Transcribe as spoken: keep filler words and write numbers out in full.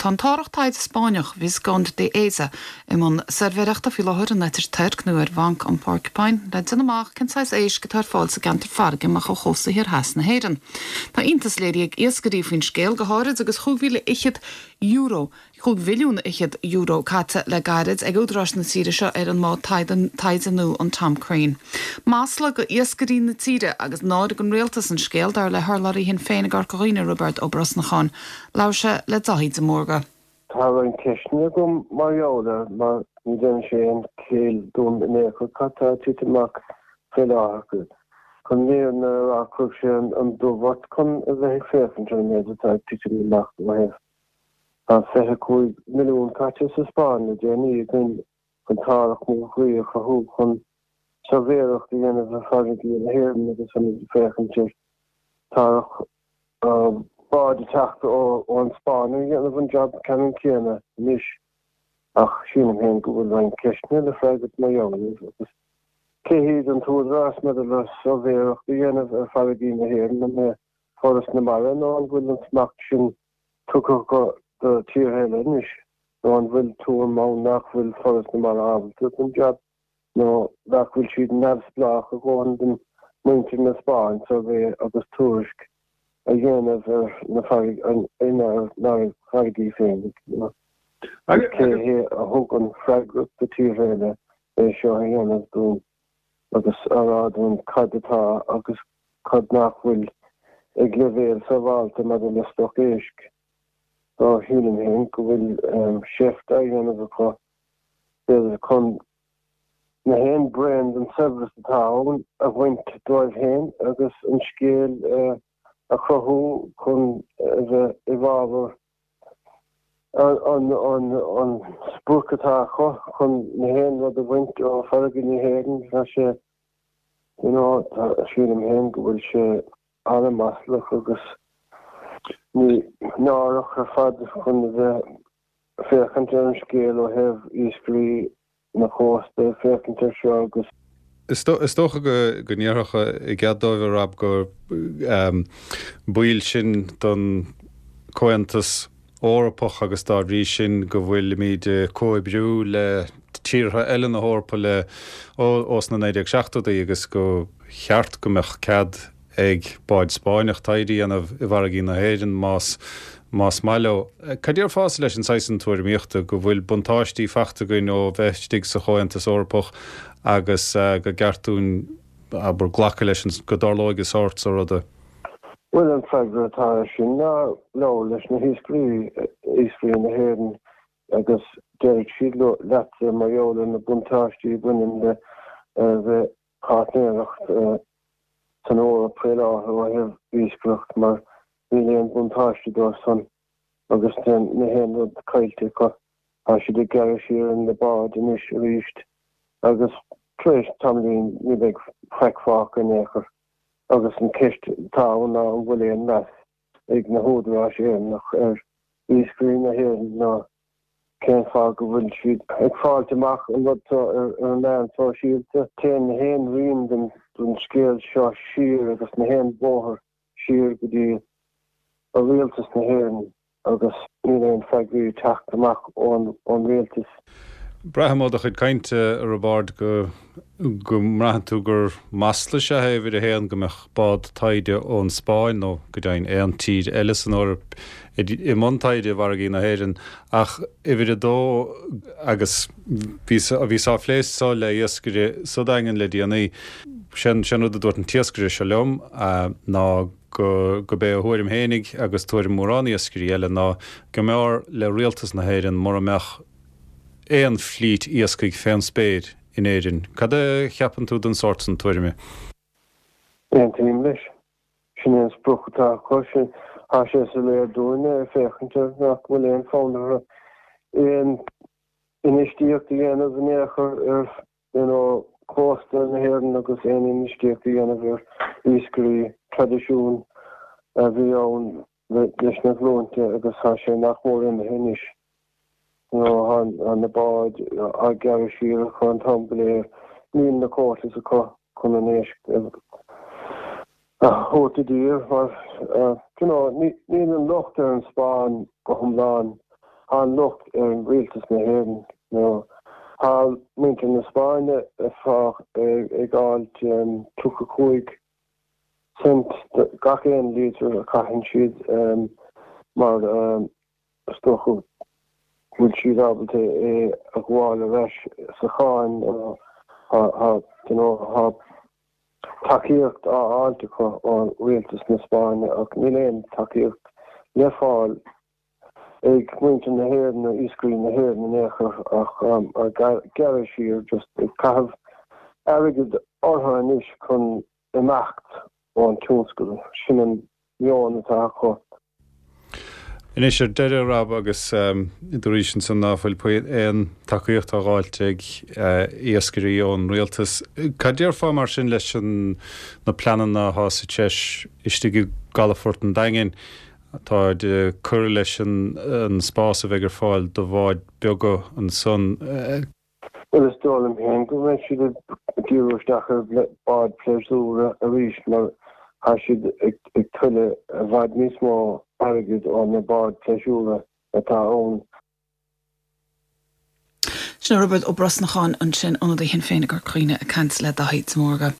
Tá an t-árthach taighde Spáinneach Vizconde de Eza i mbun suirbhéireachta faoi láthair in Leitir Toirc nó ar Bhanc an Porcupine le déanamh amach cén saghas éisc atá ar fáil sa gceantar farraige amach ó chósta thiar theas na hÉireann. Tá iontas léirithe ag iascairí faoin scéal go háirid agus chúig mhíle fhichead euro chúig mhilliún fhichead euro caite le gairid ag údaráis na tíre seo ar an mbád taighde nua an Tom Crean. Masla go iascairí na tíre agus náire don rialtas an scéal dar le hurlabhraí Shinn Féin i gCorca Dhuibhne Roibeard Ó Brosnacháin. Labhair sé le Daithí de Mórdha. Tá roinnt ceisteanna agam mar gheall air mar ní dhéanann sé aon chiall dom in aon chor cad tá ag titim amach faoi láthair. Chun an fhírinne a rá chuir sé an dubh ort chun a bheith ag féachaint ar an méid atá ag titim amach ó thaobh Tá fiche cúig milliún caite sa Spáinn le déanaí againn chun t-árthach mór a chruthú chun suirbhéireacht a dhéanamh ar farraigí na hÉireann agus chun féachaint ar t-árthach báid ag teacht ón Spáinn a dhéanamh an job ceannann céanna anois ach sílim féin go bhfuil roinnt ceisteanna le freagairt mar gheall air agus cé hiad an t-údarás maidir le suirbhéireacht a dhéanamh ar farraigí na hÉireann an é Foras na Mara nó an bhfuil an smacht sin tugtha do tíortha eile anois nó an bhfuil tuairim ann nach bhfuil Foras na Mara ábalta don job nó nach bhfuil siad neamhspleách a dhóthain don muintir na Spáinn suirbhé agus tuairisc a dhéanamh ar na inár bhfarraigí féin. Agus cé hé a thug an freagracht do tíortha eile é seo a dhéanamh dúinn agus a rá dúinn cad atá agus cad nach bhfuil ag leibhéal sábháilte maidir le stoc éisc. So sílim féin go bhfuil seift á dhéanamh acu b'fhéidir chun na haon braon den saibhreas atá ann a bhaint dóibh féin agus an scéal a chruthú chun a bheith i bhfabhar an an an sprioc atá acu chun na haon rud a bhaint ó farraige na hÉireann. Tá sé you know sílim féin go bhfuil sé an-mhaslach agus ní náireach ar fad chun a bheith féachaint ar an scéal ó thaobh iascairí na cósta féachaint ar seo agus. Is dócha go go ndéarfadh i gcead dóibh a Rob gur baill sinn den Chomhaontas Eorpach agus dá bhrí sin go bhfuilimid ag comhoibriú le tíortha eile na hEorpa le ó sna naoi déag seachtóidí agus go cheart go mbeadh cead ag báid Spáinneach taighde a dhéanamh i bhfarraigí na hÉireann más más maith leo. Cad déarfása leis an saghas sin tuairimíochta go bhfuil buntáistí faighte againn ó bheith istigh sa Chomhaontas Eorpach agus go gceart dúinn abair glacadh leis an go dtarlóidh an sórt so ruda? Bhuel an freagra atá air sin ná labhair leis na hiascairí, iascairí na hÉireann agus déarfaidh siad leat mar gheall ar na buntáistí a bhaineann le bheith páirtnéireacht san Eoraip faoi láthair ó thaobh iascaireacht mar níl aon buntáiste dóibh san agus na haon rud caillte acu. Tá siad ag gearradh siar ar na báid anois arís agus tar éis tamaillín ní bheidh faic fágtha in aon chor agus an ceist atá ann ná an bhfuil aon meas ag na húdaráis Éireannach ar iascairí na hÉireann ná Cén fáth go bhfuil siad ag fáilt amach an rud seo ar na meáin shóisialta? Téann na haon rian den scéal seo siar agus na haon bóthar siar go dtí rialtas na hÉireann agus níl aon freagraí ag teacht amach ón rialtas. Braithim ó do chuid cainte, a Roibeaird, go go mbraitheann tú gur masla is ea é, uimhir a haon, go mbeadh bád taighde ón Spáinn, nó go deimhin aon tír eile san Eoraip, i mbun taighde i bhfarraigí na hÉireann. Ach uimhir a dó, agus bhíos bhíos á phlé so le iascaire sa Daingean le déanaí, sé an rud a dúirt an t-iascaire seo liom ná go go b'é a thuairim fhéinig agus tuairim mórán iascairí eile ná go mb'fhearr le rialtas na hÉireann mura mbeadh aon flít iascaigh fén spéir in Éirinn. Cad a cheapann tú den sórt san tuairime? Aontaím leis. Sin é an sprioc atá acu. Sin, tá sé soiléir dúinne ag féachaint air nach bhfuil aon fonn orthu aon infheistíocht a dhéanamh in aon chor ar you know cósta na hÉireann agus aon infheistíocht a dhéanamh ar iascairí, traidisiún a bhí ann leis na glúinte agus tá sé nach mór imithe anois. Tá na báid á gearradh siar acu an t-am go léir. Níl na quotas acu chun an éisc a thabhairt i dtír mar you know níl an locht ar an Spáinn go hiomlán Tá an locht ar rialtas na hÉireann nó tá muintir na Spáinne ag fáil tríocha cúig cent gach aon lítear a chaitheann siad mar is dócha go bhfuil siad ábalta é a ghabháil ar ais sa cháin tá tacaíocht á fháilt acu ó rialtas na Spáinne ach níl aon tacaíocht le fáil ag muintir na hÉireann nó iascairí na hÉireann in aon chor ach ag gearradh siar just ag caitheamh airgead orthu anois chun imeacht ón tionscal. Sin an meon atá acu. Anois ar deireadh, Rob, agus dúraís ansan ná fuil aon tacaíocht á dh'fháilt ag iascairí ón rialtas. Cad déarfá mar sin leis an na pleananna atá sa treis istigh i gcalafort an Daingin atá ag cur leis an spás a bheidh ar fáil do bháid beaga ansan? Bhuel is dóigh liom féin go mbeidh siad ag díriú isteach ar bháid pléasúra arís mar tá siad ag tuilleamh i bhfad níos mó airgid ó na báid pléisiúra atá ann. Sin Roibeard Ó Brosnacháin ansin, ionadaí Shinn Féin i gCorca Dhuibhne ag caint le Daithí de Mórdha.